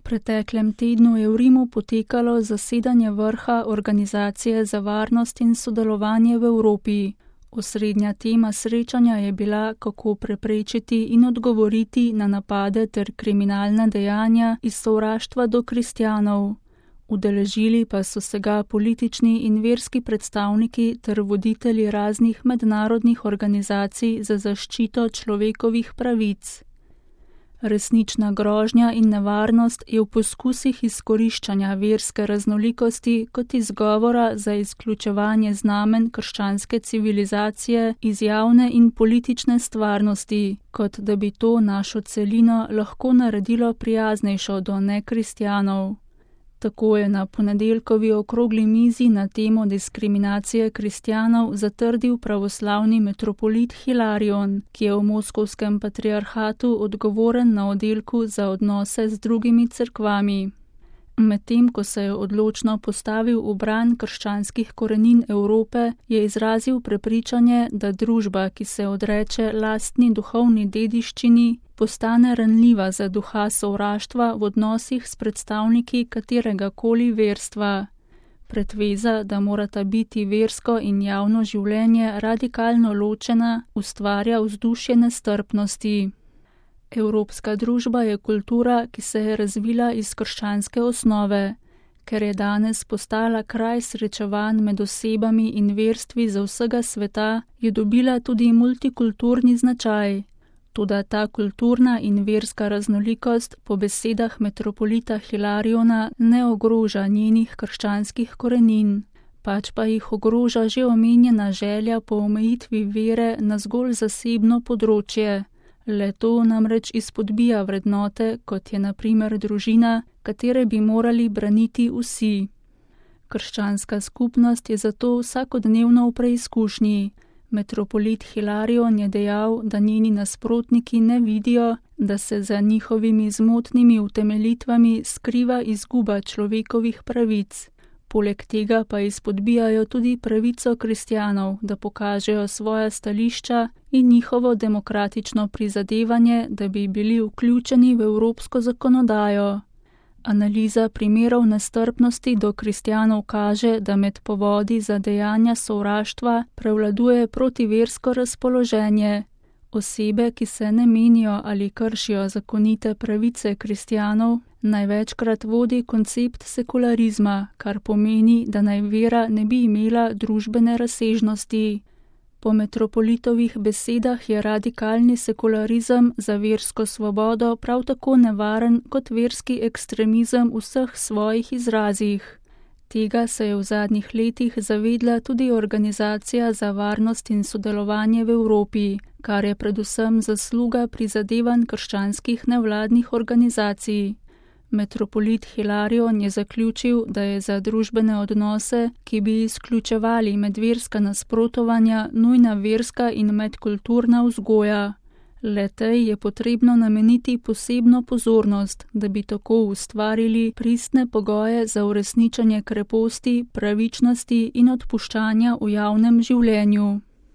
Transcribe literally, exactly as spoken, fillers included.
preteklem tednu je v Rimu potekalo zasedanje vrha Organizacije za varnost in sodelovanje v Evropi. Osrednja tema srečanja je bila, kako preprečiti in odgovoriti na napade ter kriminalna dejanja iz sovraštva do kristjanov. Udeležili pa so se ga politični in verski predstavniki ter voditelji raznih mednarodnih organizacij za zaščito človekovih pravic. Resnična grožnja in nevarnost je v poskusih izkoriščanja verske raznolikosti kot izgovora za izključevanje znamen krščanske civilizacije iz javne in politične stvarnosti, kot da bi to našo celino lahko naredilo prijaznejšo do nekristjanov. Tako je na ponedeljkovi okrogli mizi na temo diskriminacije kristjanov zatrdil pravoslavni metropolit Hilarion, ki je v moskovskem patriarhatu odgovoren na oddelku za odnose z drugimi cerkvami. Medtem ko se je odločno postavil v bran krščanskih korenin Evrope, je izrazil prepričanje, da družba, ki se odreče lastni duhovni dediščini, postane ranljiva za duha sovraštva v odnosih s predstavniki katerega koli verstva. Pretveza, da morata biti versko in javno življenje radikalno ločena, ustvarja vzdušje nestrpnosti. Evropska družba je kultura, ki se je razvila iz krščanske osnove. Ker je danes postala kraj srečevanj med osebami in verstvi za vsega sveta, je dobila tudi multikulturni značaj. Toda ta kulturna in verska raznolikost po besedah metropolita Hilariona ne ogroža njenih krščanskih korenin, pač pa jih ogroža že omenjena želja po omejitvi vere na zgolj zasebno področje. Le to namreč izpodbija vrednote, kot je na primer družina, katere bi morali braniti vsi. Krščanska skupnost je zato vsakodnevno v preizkušnji. Metropolit Hilarion je dejal, da njeni nasprotniki ne vidijo, da se za njihovimi zmotnimi utemeljitvami skriva izguba človekovih pravic. Poleg tega pa izpodbijajo tudi pravico kristjanov, da pokažejo svoja stališča in njihovo demokratično prizadevanje, da bi bili vključeni v evropsko zakonodajo. Analiza primerov nestrpnosti do kristjanov kaže, da med povodi za dejanja sovraštva prevladuje protiversko razpoloženje. Osebe, ki se ne menijo ali kršijo zakonite pravice kristjanov, največkrat vodi koncept sekularizma, kar pomeni, da naj vera ne bi imela družbene razsežnosti. Po metropolitovih besedah je radikalni sekularizem za versko svobodo prav tako nevaren kot verski ekstremizem v vseh svojih izrazih. Tega se je v zadnjih letih zavedla tudi Organizacija za varnost in sodelovanje v Evropi, kar je predvsem zasluga prizadevanj krščanskih nevladnih organizacij. Metropolit Hilarion je zaključil, da je za družbene odnose, ki bi izključevali medverska nasprotovanja, nujna verska in medkulturna vzgoja. Le tej je potrebno nameniti posebno pozornost, da bi tako ustvarili pristne pogoje za uresničenje kreposti, pravičnosti in odpuščanja v javnem življenju.